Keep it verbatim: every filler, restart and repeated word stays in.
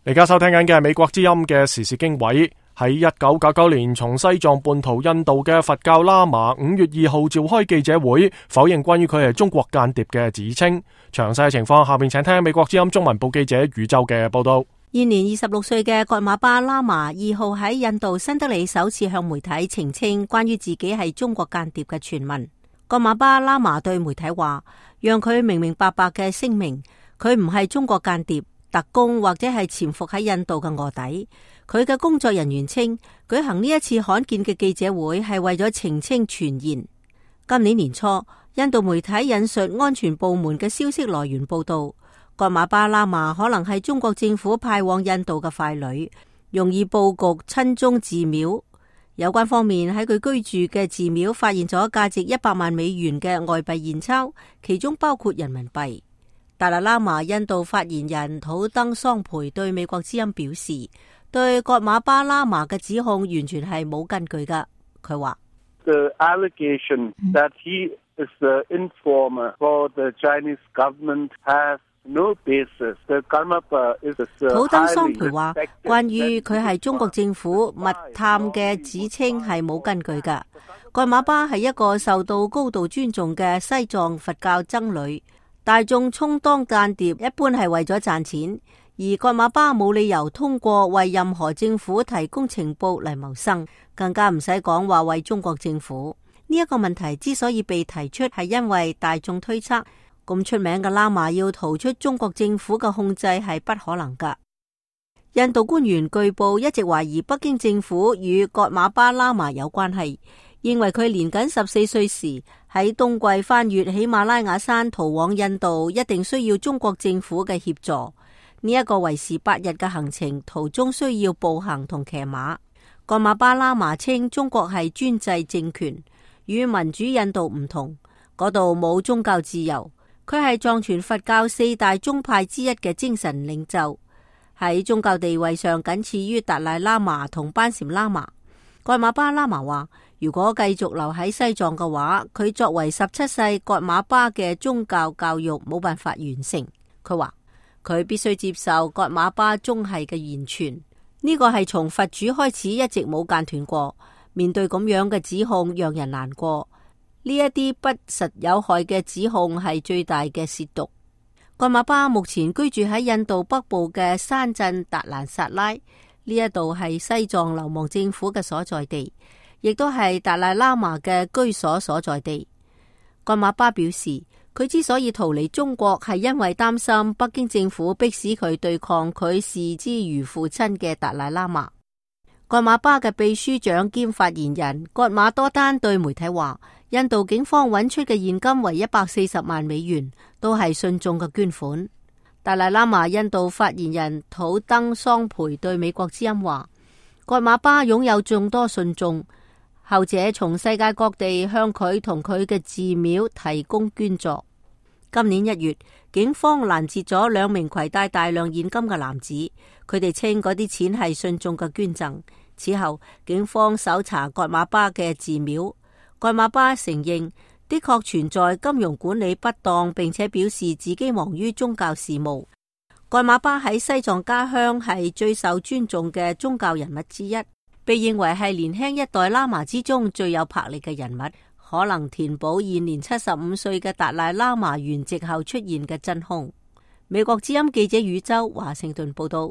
而家收聽緊嘅係美國之音嘅時事經緯。喺一九九九年從西藏叛逃印度嘅佛教喇嘛五月二號召開記者會，否認關於佢係中國間諜嘅指稱。詳細嘅情況，下面請聽美國之音中文部記者宇宙嘅報道。現年二十六歲嘅葛馬巴喇嘛二號喺印度新德里首次向媒體澄清關於自己係中國間諜嘅傳聞。葛馬巴喇嘛對媒體話，讓佢明明白白嘅聲明，佢唔係中國間諜、特工或者係潛伏喺印度嘅臥底。佢嘅工作人員稱，舉行呢一次罕見嘅記者會係為咗澄清傳言。今年年初，印度媒體引述安全部門嘅消息來源報道，葛馬巴喇嘛可能係中國政府派往印度嘅傀儡，容易布局親中寺廟。有關方面喺佢居住嘅寺廟發現咗價值一百萬美元嘅外幣現鈔，其中包括人民幣。達賴喇嘛印度發言人土登桑培對美國之音表示，對葛馬巴喇嘛嘅指控完全係冇根據噶。佢話：The allegation that he is the informer for the Chinese government has no basis. The Karmapa is a 土登桑培話，關於佢係中國政府密探嘅指稱係冇根據噶。葛馬巴係一個受到高度尊重嘅西藏佛教僧侶，大眾充當間諜一般係為咗賺錢。而葛馬巴冇理由通過為任何政府提供情報嚟謀生，更加唔使講話為中國政府。呢一個問題之所以被提出，係因為大眾推測咁出名嘅喇嘛要逃出中國政府嘅控制係不可能噶。印度官員據報一直懷疑北京政府與葛馬巴喇嘛有關係，認為佢年僅十四歲時喺冬季翻越喜馬拉雅山逃往印度，一定需要中國政府嘅協助。呢一個為時八日嘅行程，途中需要步行同騎馬。葛馬巴喇嘛稱中國係專制政權，與民主印度唔同，嗰度冇宗教自由。佢係藏傳佛教四大宗派之一嘅精神領袖，喺宗教地位上僅次於達賴喇嘛同班禪喇嘛。葛馬巴喇嘛話，如果繼續留喺西藏嘅話，佢作為十七世葛馬巴嘅宗教教育冇辦法完成。佢話佢必須接受葛馬巴宗系嘅言傳，呢個係從佛主開始一直冇間斷過。面對咁樣嘅指控，讓人難過。呢一啲不實有害嘅指控係最大嘅褻瀆。葛馬巴目前居住喺印度北部嘅山鎮達蘭薩拉，呢一度係西藏流亡政府嘅所在地，亦都係達賴喇嘛嘅居所所在地。葛馬巴表示，佢之所以逃離中國，係因為擔心北京政府迫使佢對抗佢視之如父親嘅達賴喇嘛。葛馬巴嘅秘書長兼發言人葛馬多丹對媒體話，印度警方揾出嘅現金為一百四十萬美元，都係信眾嘅捐款。達賴喇嘛印度發言人土登桑培對美國之音話，葛馬巴擁有眾多信眾，後者從世界各地向佢同佢嘅寺廟提供捐助。今年一月，警方攔截咗兩名攜帶大量現金嘅男子，佢哋稱嗰啲錢係信眾嘅捐贈。此後，警方搜查葛馬巴嘅寺廟，葛馬巴承認的確存在金融管理不當，並且表示自己忙於宗教事務。葛馬巴喺西藏家鄉係最受尊重嘅宗教人物之一，被認為係年輕一代喇嘛之中最有魄力嘅人物，可能填補現年七十五歲嘅達賴喇嘛圓寂後出現嘅真空。美國之音記者宇宙華盛頓報道。